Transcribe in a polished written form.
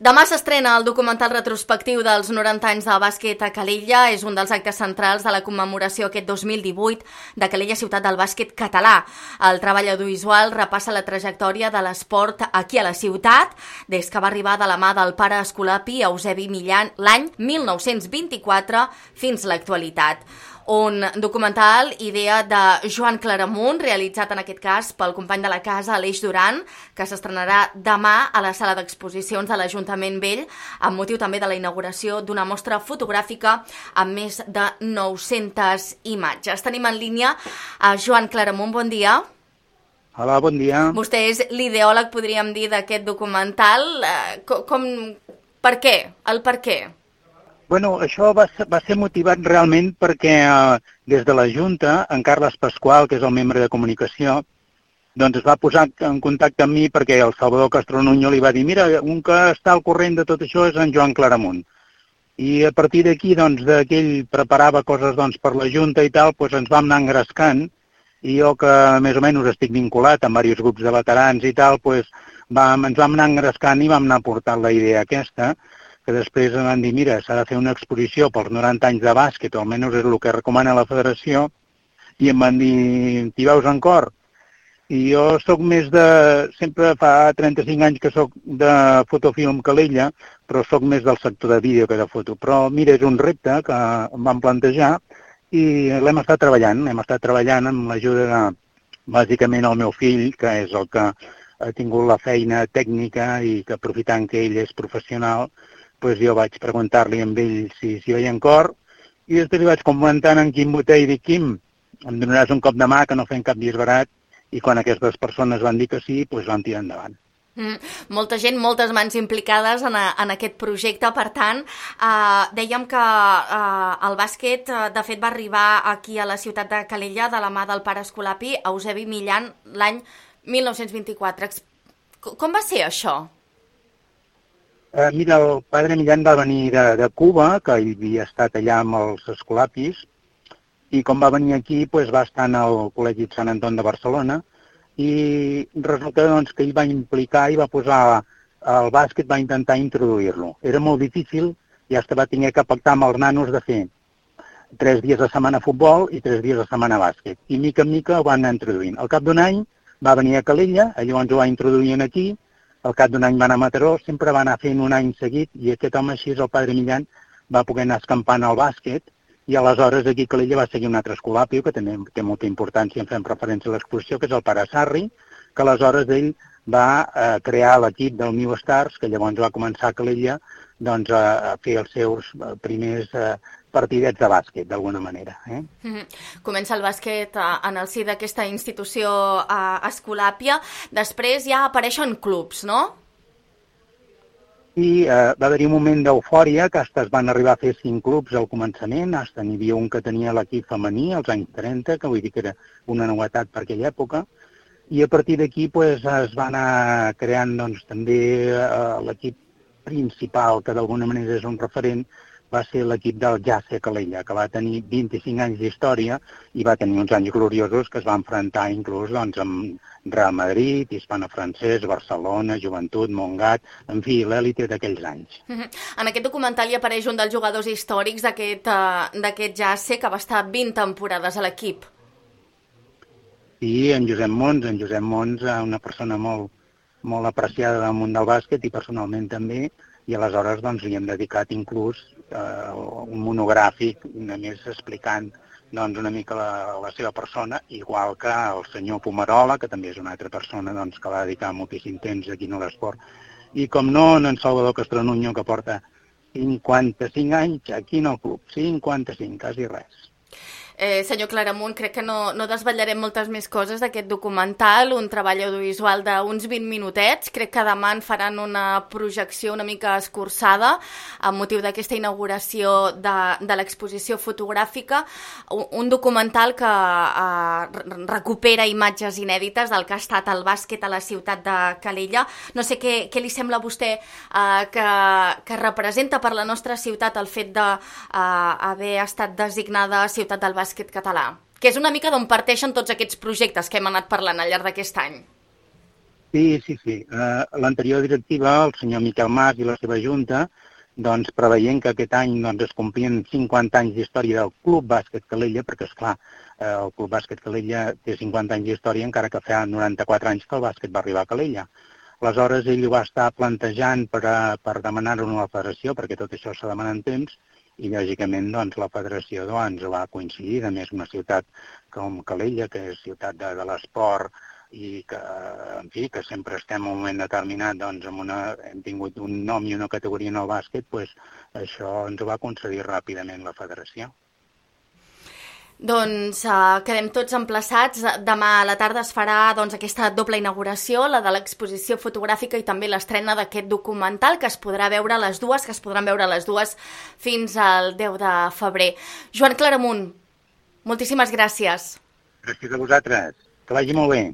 Demà s'estrena el documental retrospectiu dels 90 anys del bàsquet a Calella. És un dels actes centrals de la commemoració aquest 2018 de Calella, ciutat del bàsquet català. El treball audiovisual repassa la trajectòria de l'esport aquí a la ciutat, des que va arribar de la mà del pare Escolapi Eusebi Millan l'any 1924 fins a l'actualitat. Un documental, idea de Joan Claramunt, realitzat en aquest cas pel company de la casa Aleix Duran, que s'estrenarà demà a la sala d'exposicions de l'Ajuntament Vell, amb motiu també de la inauguració d'una mostra fotogràfica amb més de 900 imatges. Tenim en línia a Joan Claramunt, bon dia. Hola, bon dia. Vostè és l'ideòleg, podríem dir, d'aquest documental. Per què? El per què? Bueno, això va ser motivat realment perquè des de la Junta, en Carles Pasqual, que és el membre de comunicació, doncs es va posar en contacte amb mi perquè el Salvador Castro-Nuño li va dir mira, un que està al corrent de tot això és en Joan Claramunt. I a partir d'aquí, doncs, que ell preparava coses per la Junta i tal, doncs ens vam anar engrescant, i jo que més o menys estic vinculat amb diversos grups de veterans i tal, doncs ens vam anar engrescant i vam anar portant la idea aquesta, que després em van dir, mira, s'ha de fer una exposició pels 90 anys de bàsquet, o almenys és el que recomana la federació, i em van dir, t'hi veus en cor? I jo sóc més sempre fa 35 anys que sóc de fotofilm Calella, però sóc més del sector de vídeo que de foto. Però mira, és un repte que em van plantejar i l'hem estat treballant amb l'ajuda de, bàsicament, el meu fill, que és el que ha tingut la feina tècnica i que aprofitant que ell és professional, doncs jo vaig preguntar-li amb ell si hi veia en cor i després li vaig comentar en Quim Botell i dic, Quim, em donaràs un cop de mà que no fem cap disbarat i quan aquestes persones van dir que sí, doncs van tirar endavant. Molta gent, moltes mans implicades en aquest projecte, per tant, dèiem que el bàsquet, de fet, va arribar aquí a la ciutat de Calella de la mà del pare Escolapi Eusebi Millan l'any 1924. Com va ser això? Mira, el padre Millan va venir de Cuba, que ell havia estat allà amb els Escolapis, i com va venir aquí va estar en el Col·legi de Sant Anton de Barcelona, i resulta que ell va implicar i va posar el bàsquet, va intentar introduir-lo. Era molt difícil i fins va haver que pactar amb els nanos de fer 3 dies a setmana futbol i 3 dies a setmana bàsquet. I mica en mica ho van anar introduint. Al cap d'un any va venir a Calella, llavors ho va introduir aquí. Al cap d'un any va anar a Mataró, sempre va anar fent un any seguit i aquest home així, el padre Millan, va poder anar escampant al bàsquet i aleshores aquí a Calella va seguir un altre escolapio que també té molta importància en fem referència a l'exposició, que és el pare Sarri, que aleshores ell va crear l'equip del New Stars, que llavors va començar a Calella a fer els seus primers partidets de bàsquet, d'alguna manera. Comença el bàsquet en el si d'aquesta institució escolàpia, després ja apareixen clubs, no? I va haver-hi un moment d'eufòria, que es van arribar a fer 5 clubs al començament, n'hi havia un que tenia l'equip femení als anys 30, que vull dir que era una novetat per aquella època, i a partir d'aquí es va anar creant també l'equip principal, que d'alguna manera és un referent, va ser l'equip del JACE Calella, que va tenir 25 anys d'història i va tenir uns anys gloriosos que es va enfrontar inclús amb Real Madrid, Hispano Francès, Barcelona, Joventut, Montgat, en fi, l'èlite d'aquells anys. En aquest documental hi apareix un dels jugadors històrics d'aquest JACE que va estar 20 temporades a l'equip. Sí, en Josep Mons, una persona molt apreciada del món del bàsquet i personalment també, i aleshores li hem dedicat inclús un monogràfic només explicant una mica la seva persona, igual que el senyor Pomerola, que també és una altra persona que va dedicar moltíssim temps aquí a l'esport, i com no, en Salvador Castro-Nuño, que porta 55 anys aquí en el club, 55, quasi res. Senyor Claramunt, crec que no desvetllarem moltes més coses d'aquest documental, un treball audiovisual d'uns 20 minutets. Crec que demà en faran una projecció una mica escurçada amb motiu d'aquesta inauguració de l'exposició fotogràfica, un documental que recupera imatges inèdites del que ha estat el bàsquet a la ciutat de Calella. No sé què li sembla a vostè que representa per la nostra ciutat el fet d'haver estat designada ciutat del bàsquet català, que és una mica d'on parteixen tots aquests projectes que hem anat parlant al llarg d'aquest any. Sí. L'anterior directiva, el senyor Miquel Mas i la seva junta, doncs preveient que aquest any es complien 50 anys d'història del Club Bàsquet Calella, perquè, esclar, el Club Bàsquet Calella té 50 anys d'història, encara que fa 94 anys que el bàsquet va arribar a Calella. Aleshores, ell ho va estar plantejant per demanar-ho a la federació, perquè tot això s'ha demanat en temps, i lògicament la federació va coincidir. A més, una ciutat com Calella, que és ciutat de l'esport, i que, en fi, que sempre estem en un moment determinat, hem tingut un nom i una categoria en el bàsquet, això ens ho va concedir ràpidament la federació. Doncs quedem tots emplaçats. Demà a la tarda es farà aquesta doble inauguració, la de l'exposició fotogràfica i també l'estrena d'aquest documental, que es podran veure les dues fins al 10 de febrer. Joan Claramunt, moltíssimes gràcies. Gràcies a vosaltres. Que vagi molt bé.